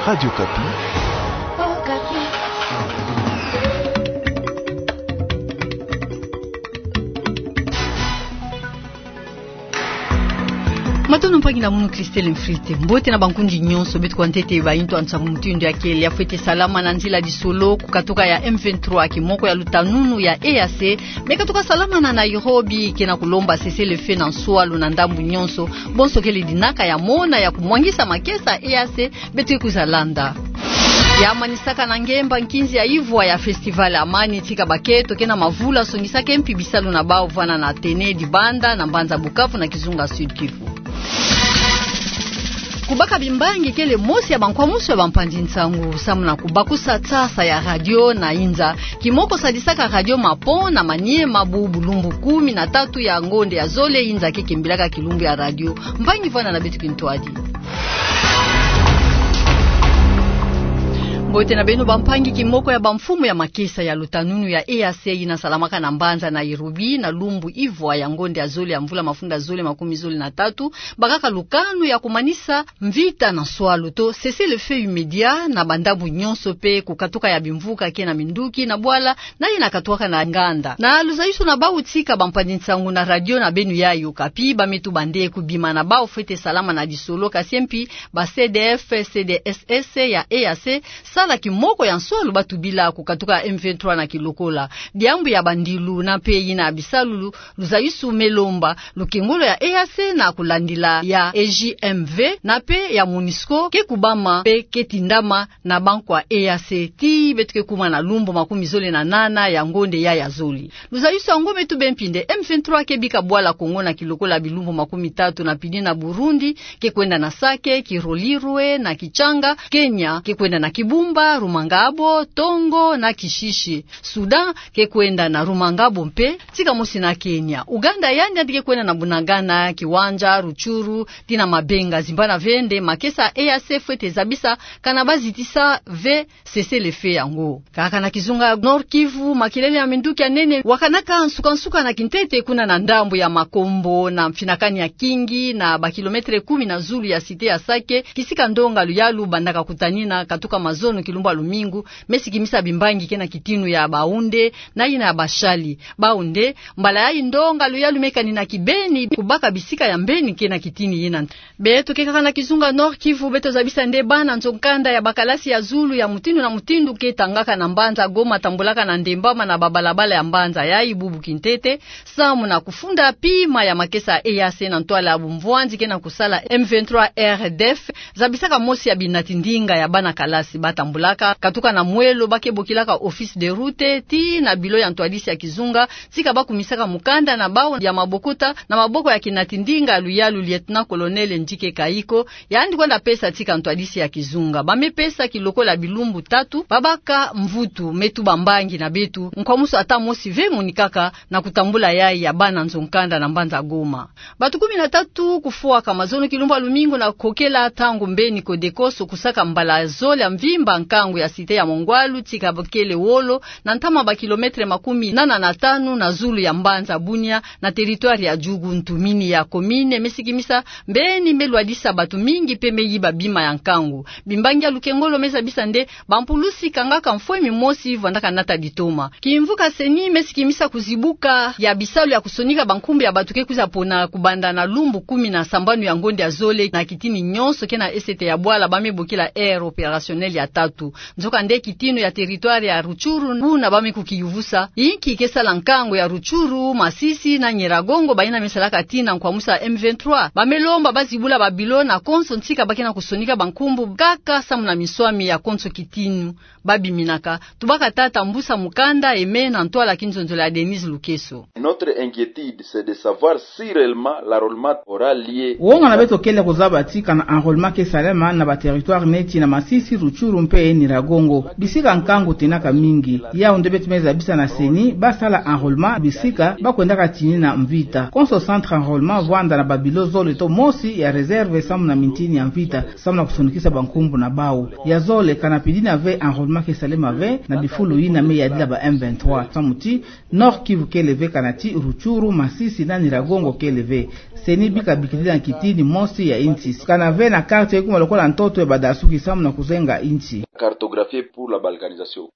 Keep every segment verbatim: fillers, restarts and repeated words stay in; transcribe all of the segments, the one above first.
Radio Okapi. Matondo mpangi na munu, Christelle Mfrite. Mbote na bankundi nyonso. Beto kwa ntete baintu ya nsangu mutindu ya kele. Ya fwete salama na nzila disolo ku katuka ya M vingt-trois, kimoko ya lutanunu ya E A C, me katuka salama na Nairobi, ke na kulomba cessez-le-feu na nswalu na ndambu nyonso. Bonso kele dinaka ya mona ya kumwangisa makesa E A C, beto ke kwiza landa. Ya manisaka na ngemba nkinzi ya ivwa ya Festival Amani, tika bakento ke na mavula songisaka mpi bisalu na bawu vwanda na Athénée Dibanda na mbanza Bukavu na kizunga Sud-Kivu. Kubaka bimbangi kele mosi ya bankwamusu ya bampanzi nsangu, samu na kubakusa tsasa ya radio na inza. Kimoko sadisaka radio Mapon na Maniema bu bulumbu kumi na tatu ya ngonde ya zole, inza ke kembilaka kilumbu ya radio. Mpangi, vwanda na beto kintwadi. Mbote na beno bampangi. Kimoko ya bamfumu ya makesa ya lutanunu ya E A C yina salamaka na mbanza Nairobi na lumbu ivwa ya ngonde ya zole ya mvula mafunda zole makumi zole na tatu, bakaka lukanu ya kumanisa mvita na nswalu to cessez-le-feu immédiat na bandambu nyonso, mpe kukatuka ya bimvuka ke na minduki na bwala na yina katuaka na nganda. Na luzayusu na bawu tika bampanzi nsangu na radio na beno ya Okapi, ba me tuba nde kubima na bawu fwete salama na disolo, kasi mpi ba C D F, C D S S ya E A C sala kimoko ya nswalu ba tubila kukatuka M vingt-trois na kilokola. Diambu ya bandilu na mpe yina bisalu, luzayusu me lomba lukengolo ya E A C na kulandila ya E J M V na mpe ya MONUSCO ke kubama mpe ke tindama na bankwa E A C tii beto ke kuma na lumbu makumi zole na nana ya ngonde ya ya zole. Luzayusu yango me tuba mpi nde M vingt-trois ke bika bwala Kongo na kilokola bilumbu makumi tatu na pili na Burundi, ke kwenda na Sake, Kirorirwe na Kitchanga, Kenya ke kwenda na Kibumba, Rumangabo, Tongo na Kishishe. Sudan ke kwenda na Rumangabo mpe, tika mosi na Kenya. Uganda yandi yandi ke kwenda na Bunagana, Kiwanja, Rutshuru, tii na Mabenga. Zimbana ve nde makesa E A C fwete zabisa kana ba zitisa ve cessez-le-feu yango. Kaka na kizunga Nord-Kivu, makelele ya minduki ya nene wakanaka nsuka-nsuka na kintete kuna na ndambu ya Makombo, na mfinakani ya Kingi, na bakilometre kumi na zulu ya cité ya Sake, kisika ndonga luyalu bandaka kutanina katuka mazono kilumbu ya lumingu, me sikimisa bimbangi ke na kitinu ya bawu nde na yina ya bashali. Bawu nde, mbala yayi ndonga luyalu me kanina kibeni, kubaka bisika ya mbeni ke na kitini yina. Beto ke kaka na kizunga Nord-Kivu, beto zabisa nde bana nzo-nkanda ya bakalasi ya zulu ya mutindu na mutindu ke tangaka na mbanza Goma tambulaka na ndembama na babalabala ya mbanza yayi bubu kintete, samu na kufunda pima ya makesa E A C na ntwala ya bumvwanzi ke na kusala M vingt-trois R D F, zabisaka mosi ya binati-ndinga ya bana kalasi. Ba tambulaka katuka na mwelo, ba ke bokilaka office de route, tii na bilo ya ntwadisi ya kizunga, tika ba kumisaka mukanda na bawu ya mabokota na maboko ya kinati-ndinga luyalu, lieutenant-colonel Ndjike Kayiko, yandi kwenda pesa tika ntwadisi ya kizunga. Ba me pesa kilokola bilumbu tatu, ba baka mvutu. Me tuba mbangi na beto, nkwamusu ata mosi ve monikaka na kutambula yayi ya bana nzo-nkanda na mbanza Goma. Batu kumi na tatu kufwaka mazono kilumbu ya lumingu na kokela ntangu mbeni Codeco sokusaka mbala zole ya mvimba nkangu ya cité ya Mongwalu, tika bukele wolo na ntama bakilometre makumi nana na tanu na zulu ya mbanza Bunia, na territoire ya Djugu, ntumini ya commune, me sikimisa mbeni, me lwadisa batu mingi mpe me yiba bima ya nkangu. Bimbangi ya lukengolo me zabisa nde bampulusi kangaka mfwemi mosi vwandaka nata ditoma. Kimvuka CENI me sikimisa kuzibuka ya bisalu ya kusonika bankumbu ya batu ke kwiza pona kubanda na lumbu kumi na sambanu ya ngonde ya zole na kitini nyonso ke na esete ya bwala ba me bokila aire opérationnelle ya tatu. Nzokande kitino ya territoire ya Rutshuru, buna ba me kukiyuvusa, inki ke sala nkangu ya Rutshuru, Masisi na Nyiragongo, bayina me salaka tii na nkwamusu ya M vingt-trois. Ba me lomba ba zibula babilo na konso ntika ba ke na kusonika bankumbu, kaka samu na minswami ya konso kitino ba biminaka. Tubaka tata mbusa mukanda eme na ntwala kinzonzolo ya Denise Lukeso. Notre inquiétude, c'est de savoir si réellement l'enrôlement aura lieu. Wonga na beto kele kuzaba ti kana enrôlement ke salama na ba territoire neti na Masisi, Rutshuru mpe pe Nyiragongo. Bisika nkangu tinaka mingi. Yau nde beto me zabisa na CENI, ba sala enrôlement bisika ba kwendaka tinina mvita. Konso centre enrôlement vwanda na ba bilo zole to mosi ya réserve samu na mintini ya mvita, samu na kusonikisa bankumbu na bau. Ya zole, kana pidina ve enrôlement ke salema ve, na bifulu yina me yadila ba M vingt-trois. Samu ti, Nord-Kivu kele ve, kana ti Rutshuru, Masisi na Nyiragongo kele ve. CENI bika bikidi na kitini mosi ya insi. Kana ve na quartier kuma lokola ntoto ya badasuki samu na kuzenga insi. Cartographie pour la balkanisation.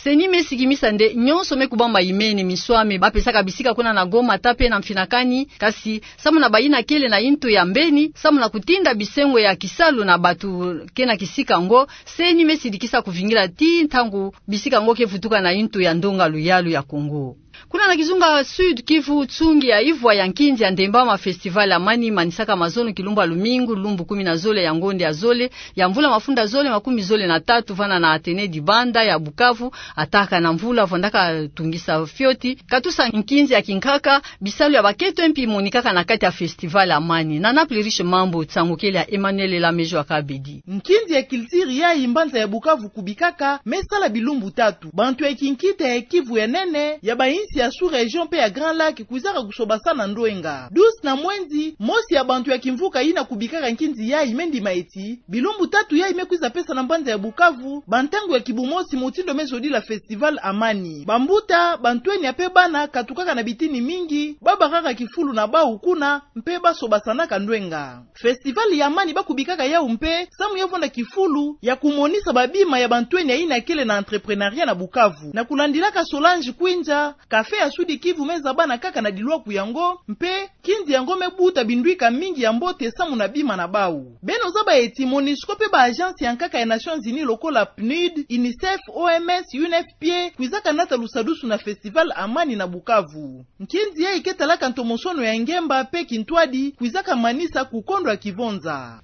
CENI me sikimisa nde nyonso me kubama imene, miswami ba pesaka bisika kuna na Goma, Tape na Mfinakani, kasi samu na bayina kele na intu ya mbeni, samu na kutinda bisengo ya kisalu na batu ke na kisika ngo, CENI me sidikisa kuvingila ti ntangu bisika ngo ke vutuka na intu ya ndonga luyalu ya Kongo. Kuna na kizunga Sud-Kivu, tsungi ya ivwa ya nkinzi ya Ndembama, Festival Amani, manisaka mazono kilumbu ya lumingu, lumbu kumi na zole ya ngonde ya zole ya mvula mafunda zole makumi zole na tatu, vana na Athénée Dibanda ya Bukavu, ataka na mvula vwandaka tungisa fioti, katusa nkinzi ya kinkaka, bisalu ya bakento mpi monikaka na kati ya Festival Amani. Na Naples Riche Mambu, nsangu kele ya Emmanuel Elamejo Akabedi. Nkinzi ya culture yayi mbanza ya Bukavu kubikaka me sala bilumbu tatu. Bantu ya kinkita ya Kivu ya nene, ya bainsi ya sous-région pe ya Grand Lac kwizaka kusobasana ndwenga. Douze na mwenzi, mosi ya bantu ya kimvuka yina kubikaka nkinzi yayi me ndima eti, bilumbu tatu yayi me kwiza pesa na mbanza ya Bukavu bantangu ya kibumosi, motindo me zodila Festival Amani. Bambuta, bantwenya pe bana katukaka na bitini mingi, ba bakaka kifulu na bau kuna, mpe ba sobasanaka ndwenga. Festival ya Amani ba kubikaka yau mpe samu ya vwanda kifulu ya kumonisa babima ya bantwenya yina kele na entrepreneuriat na Bukavu. Na kulandilaka Solange Kwinja, café ya Sud-Kivu me zabana kaka na dilwaku yango, mpe nkinzi yango me buta bindwika mingi ya mbote samu na bima na bau. Beno zaba eti MONUSCO mpe ba agence ya nkaka ya Nations Unies lokola PNUD, UNICEF, OMS, UNFPA kwizaka nata lusadusu na Festival Amani na Bukavu. Nkinzi yayi ke talaka ntomosono ya ngemba mpe kintwadi kwizaka manisa kukondwa kivonza.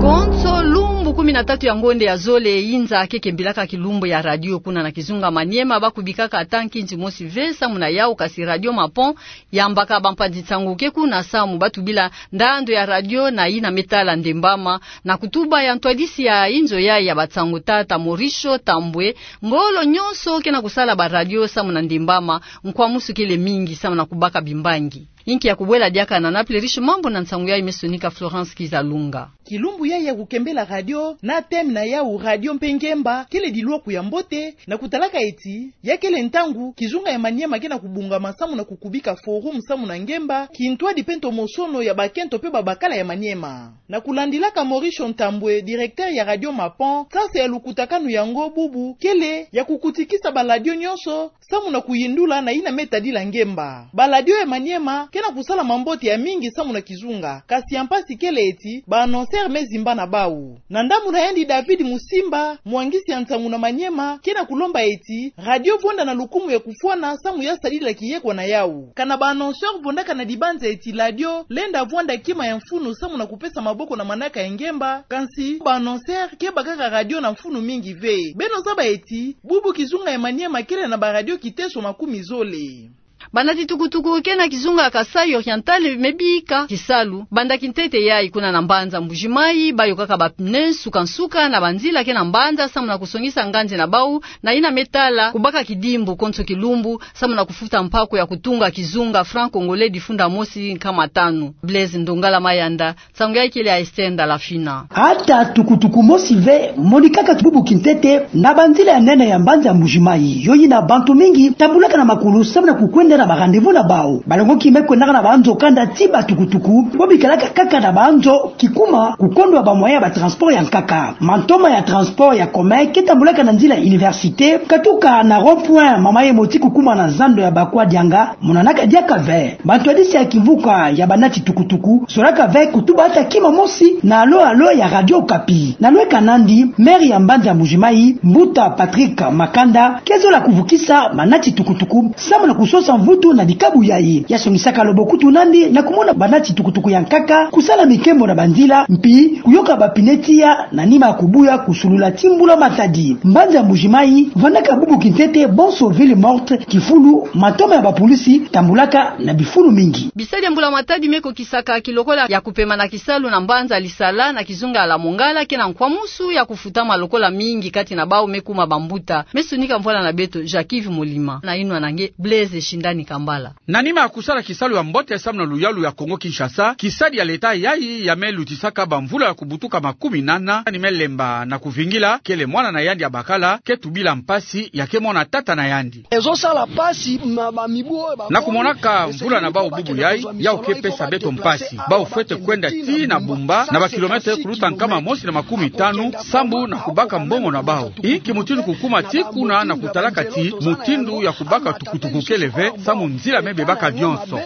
Konso lumbu kumi na tatu ya ngonde ya zole, inza ke kembilaka kilumbu ya radio kuna na kizunga Maniema, ba kubikaka ata nkinzi mosi ve samu na yau, kasi Radio Mapon yambaka bampanzi nsangu ke kuna samu ba tubila ndandu ya radio na yina me tala Ndembama, na kutuba ya ntwadisi ya inzo yayi ya bansangu, tata Mauricio Tambwe. Ngolo nyonso ke na kusala ba radio samu na Ndembama, nkwamusu kele mingi samu na kubaka bimbangi. Inki ya kubwela diaka na Naples Riche Mambu na nsangu yayi me sonika Florence Kizalunga. Kilumbu yayi ya kukembela radio na thème na yau Radio mpe Ngemba kele dilwaku ya mbote, na kutalaka eti ya kele ntangu kizunga ya Maniema ke na kubungama samu na kukubika forum samu na ngemba, kintwadi mpe ntomosono ya bakento mpe babakala ya Maniema. Na kulandilaka Mauricio Ntambwe, directeur ya Radio Mapon, sasa ya lukutakanu yango bubu kele ya kukutikisa ba radio nyonso samu na kuyindula na yina me tadila ngemba. Ba radio ya Maniema ke na kusala mambote ya mingi samu na kizunga, kasi ya mpasi kele eti ba annonceur me zimba na bau. Na ndambu na yandi, David Musimba, mwangisi ya nsangu na Maniema, ke na kulomba eti radio vonda na lukumu ya kufwana samu ya sadila kiyekwa na yau. Kana ba annonceur vondaka na dibanza eti radio lenda vwanda kima ya mfunu samu na kupesa maboko na manaka ya ngemba, kansi ba annonceur ke bakaka radio na mfunu mingi ve. Beno zaba eti bubu kizunga ya Maniema kele na ba radio kiteso makumi zole. Banati tukutuku ke na kizunga Kasaï Oriental me bika kisalu banda kintete yayi kuna na mbanza Mbuji-Mayi, ba yokaka ba pneu nsuka nsuka na banzila ke na mbanza samu na kusongisa nganzi na bau na yina me tala kubaka kidimbu konso kilumbu samu na kufuta mpaku ya kutunga kizunga franc congolais difunda mosi nkama tanu. Blaise Ndongala Mayanda, nsangu yayi kele ya Esther Ndalafina. Ata tukutuku mosi ve monikaka bubu kintete na banzila ya nene ya mbanza Mbuji-Mayi. Yo yina bantu mingi tambulaka na makulu samu na kukwenda na ba rendez-vous na bau. Balongoki me kwendaka na banzo kanda ti ba tukutuku, bo bikalaka kaka na banzo kikuma kukondwa ba moyen ya ba transport ya nkaka. Mantoma ya transport ya commun ke tambulaka na nzila université, katuka na rond-point Mama Yemo ti kukuma na zando ya Bakwa Dianga, monanaka diaka ve. Bantwadisi ya kimvuka ya banati tukutuku zolaka ve kutuba ata kima mosi na alo alo ya Radio Okapi. Na lweka nandi, maire ya mbanza Mbuji-Mayi, mbuta Patrick Makanda, ke zola kuvukisa banati tukutuku samu na kusosa Kutu na dikabu yayi, ya songisaka lobo kutu nandi na kumona banati tukutuku ya nkaka kusala mikembo na banzila, mpi kuyoka ba pneu tiya na nima ya kubuya kusulula ti mbula matadi. Mbanza Mbuji-Mayi vandaka bubu kintete bonso ville morte, kifulu, matoma ya bapolisi tambulaka na bifulu mingi. Bisadi ya mbula matadi me kokisaka kilokola ya kupema na kisalu na mbanza Lisala na kizunga ya la Mongala ke na nkwamusu ya kufutama lokola mingi kati na bau me kuma bambuta. Me sonika mvwala na beto Jacques Yves Molima na inwa na nge Blaise Shindani Kambala. Na nima ya kusala kisalu ya mbote samu na luyalu ya Kongo-Kinshasa, kisadi ya leta yayi ya me lutisaka bamvula ya kubutuka makumi nana, ni me lemba na kuvingila kele mwana na yandi ya bakala ke tubila mpasi ya ke mona tata na yandi. Ezosala mpasi na bamibu oyo ba- Na kumonaka mvula na bau bubu yayi, yau ke pesa beto mpasi. Bau fwete kwenda ti na Bumba na ba kilomètre kuluta nkama mosi na makumi tanu, sambu na kubaka mbongo na bau. Inki mutindu kukuma ti kuna na kutalaka ti mutindu ya kubaka tukutuku kele ve, samu nzila me bebaka nionso.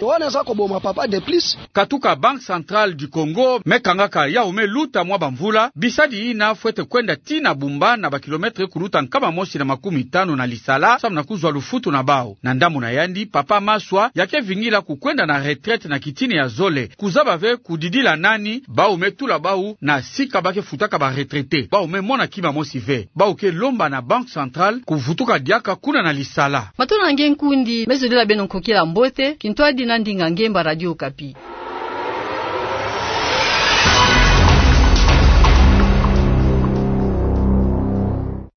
Katuka Banque Centrale du Congo me kangaka yau me luta mwa bamvula, bisadi yina fwete kwenda ti na Bumba na ba kilomètre kuluta nkama mosi na makumi tanu na Lisala, samu na kuzwa lufutu na bau. Na ndambu na yandi, papa Maswa ya ke vingila kukwenda na retraite na kitini ya zole. Kuzaba ve kudidila nani, bau me tula bau na sika ba ke futaka ba retraités. Bau me mona kima mosi ve. Bau ke lomba na Banque Centrale kuvutuka diaka kuna na Lisala. Matondo na nge nkundi, me zodila beno nkokila mbote, kintwadi na ndinga ngemba Radio Okapi.